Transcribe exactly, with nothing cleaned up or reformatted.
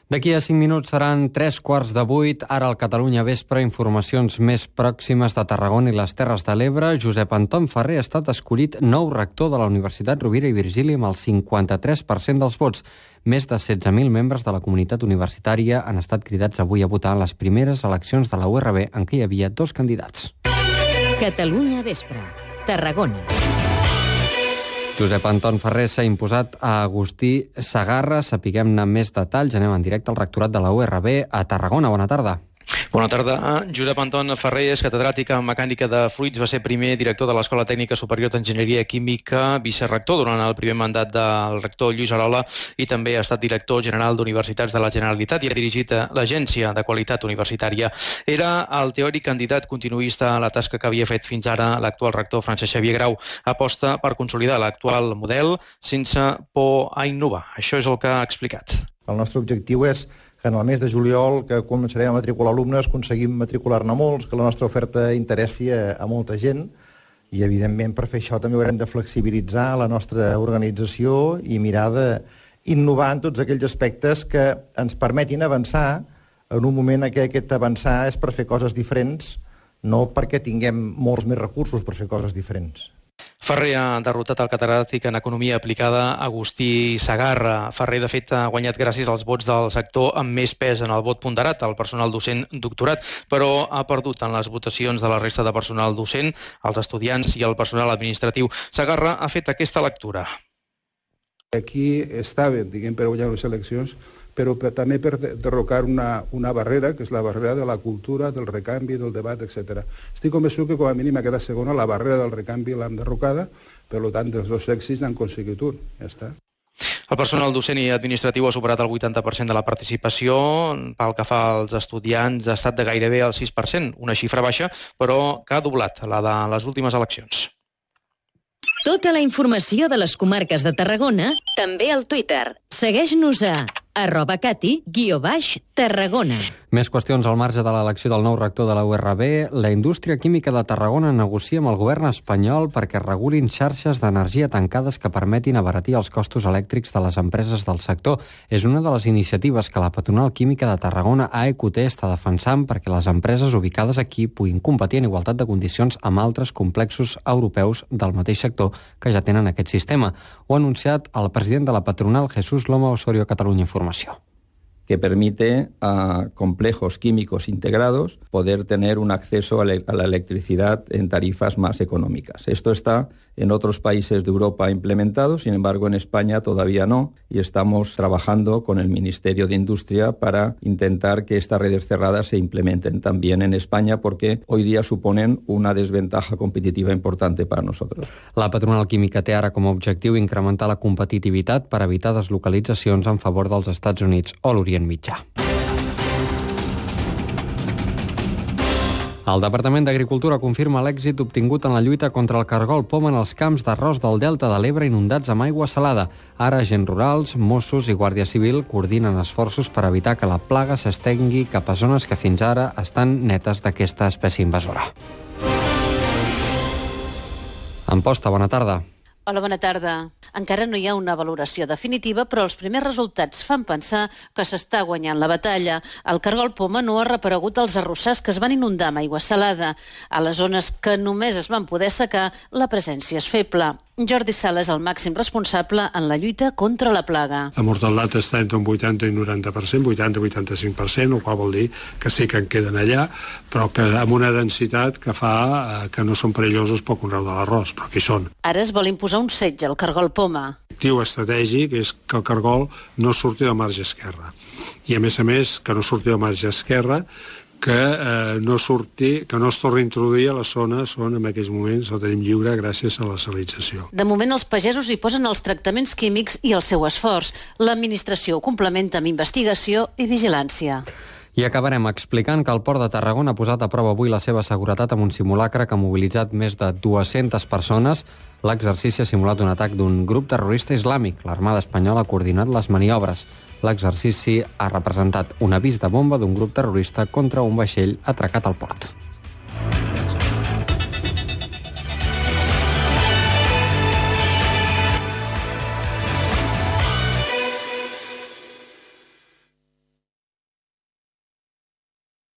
D'aquí a cinc minuts seran tres quarts de vuit. Ara al Catalunya Vespre, informacions més pròximes de Tarragona i les Terres de l'Ebre. Josep Anton Ferrer ha estat escollit nou rector de la Universitat Rovira i Virgili amb el cinquanta-tres per cent dels vots. Més de setze mil membres de la comunitat universitària han estat cridats avui a votar en les primeres eleccions de la U R B en què hi havia dos candidats. Catalunya Vespre, Tarragona. Josep Anton Ferrer s'ha imposat a Agustí Segarra. Sapiguem-ne més detalls. Anem en directe al rectorat de la U R B a Tarragona. Bona tarda. Bona tarda. Josep Anton Ferrer és catedràtic en mecànica de fluids, va ser primer director de l'Escola Tècnica Superior d'Enginyeria Química, vicerector durant el primer mandat del rector Lluís Arola i també ha estat director general d'Universitats de la Generalitat i ha dirigit l'Agència de Qualitat Universitària. Era el teòric candidat continuista a la tasca que havia fet fins ara l'actual rector Francesc Xavier Grau. Aposta per consolidar l'actual model sense por a innovar. Això és el que ha explicat. El nostre objectiu és que en el mes de juliol, que començarem a matricular alumnes, aconseguim matricular-ne molts, que la nostra oferta interessi a, a molta gent i, evidentment, per fer això també haurem de flexibilitzar la nostra organització i mirar d'innovar en tots aquells aspectes que ens permetin avançar en un moment en què aquest avançar és per fer coses diferents, no perquè tinguem molts més recursos per fer coses diferents. Ferrer ha derrotat el catedràtic en Economia Aplicada Agustí Segarra. Ferrer, de fet, ha guanyat gràcies als vots del sector amb més pes en el vot ponderat, el personal docent doctorat, però ha perdut en les votacions de la resta de personal docent, els estudiants i el personal administratiu. Segarra ha fet aquesta lectura. Aquí estaven, diguem, per guanyar les eleccions, però per, també per derrocar una, una barrera, que és la barrera de la cultura, del recanvi, del debat, etcètera. Estic convençut que com a mínim aquesta segona, la barrera del recanvi l'hem derrocada, per tant, dels dos èxits n'han aconseguit un. Ja està. El personal docent i administratiu ha superat el vuitanta per cent de la participació. Pel que fa als estudiants, ha estat de gairebé el sis per cent, una xifra baixa, però que ha doblat la de les últimes eleccions. Tota la informació de les comarques de Tarragona, també al Twitter. Segueix-nos a arroba cati guió baix Tarragona. Més qüestions al marge de l'elecció del nou rector de la U R B. La indústria química de Tarragona negocia amb el govern espanyol perquè regulin xarxes d'energia tancades que permetin abaratir els costos elèctrics de les empreses del sector. És una de les iniciatives que la patronal química de Tarragona, A E Q T, està defensant perquè les empreses ubicades aquí puguin competir en igualtat de condicions amb altres complexos europeus del mateix sector que ja tenen aquest sistema. Ho ha anunciat el president de la patronal, Jesús Loma Osorio, Catalunya Informació. Que permite a complejos químicos integrados poder tener un acceso a la electricidad en tarifas más económicas. Esto está en otros países de Europa implementado, sin embargo en España todavía no, y estamos trabajando con el Ministerio de Industria para intentar que estas redes cerradas se implementen también en España, porque hoy día suponen una desventaja competitiva importante para nosotros. La patronal química té ara com a objectiu incrementar la competitivitat per evitar deslocalitzacions en favor dels Estats Units o l'Orient Mitjà. El Departament d'Agricultura confirma l'èxit obtingut en la lluita contra el cargol poma en els camps d'arròs del Delta de l'Ebre inundats amb aigua salada. Ara agents rurals, Mossos i Guàrdia Civil coordinen esforços per evitar que la plaga s'estengui cap a zones que fins ara estan netes d'aquesta espècie invasora. Amposta, bona tarda. Hola, bona tarda. Encara no hi ha una valoració definitiva, però els primers resultats fan pensar que s'està guanyant la batalla. El cargol poma no ha reaparegut als arrossars que es van inundar amb aigua salada. A les zones que només es van poder secar, la presència és feble. Jordi Sala és el màxim responsable en la lluita contra la plaga. La mortalitat està entre un vuitanta i noranta per cent, vuitanta a vuitanta-cinc per cent, el qual vol dir que sí que en queden allà, però que amb una densitat que fa que no són perillosos pel conreu de l'arròs, però que hi són. Ara es vol imposar un setge al cargol poma. L'objectiu estratègic és que el cargol no surti del marge esquerre. I a més a més, que no surti del marge esquerre, que eh, no surti, que no es torni a introduir a les zones on en aquests moments el tenim lliure gràcies a la salinització. De moment els pagesos hi posen els tractaments químics i el seu esforç. L'administració ho complementa amb investigació i vigilància. I acabarem explicant que el Port de Tarragona ha posat a prova avui la seva seguretat amb un simulacre que ha mobilitzat més de dues-centes persones. L'exercici ha simulat un atac d'un grup terrorista islàmic. L'Armada Espanyola ha coordinat les maniobres. L'exercici ha representat un avís de bomba d'un grup terrorista contra un vaixell atracat al port.